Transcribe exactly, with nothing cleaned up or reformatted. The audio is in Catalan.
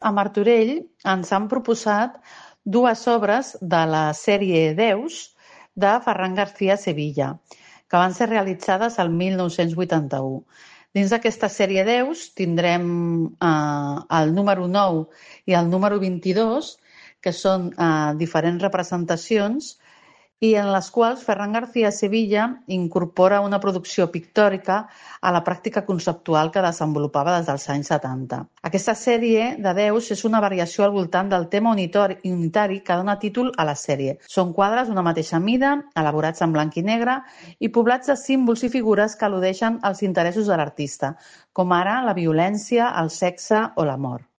A Martorell ens han proposat dues obres de la sèrie Déus de Ferran García Sevilla, que van ser realitzades el mil nou-cents vuitanta-u. Dins d'aquesta sèrie Déus tindrem eh, el número nou i el número vint-i-dos, que són eh, diferents representacions i en les quals Ferran García Sevilla incorpora una producció pictòrica a la pràctica conceptual que desenvolupava des dels anys setanta. Aquesta sèrie de Déus és una variació al voltant del tema unitari que dona títol a la sèrie. Són quadres d'una mateixa mida, elaborats en blanc i negre i poblats de símbols i figures que al·ludeixen als interessos de l'artista, com ara la violència, el sexe o la mort.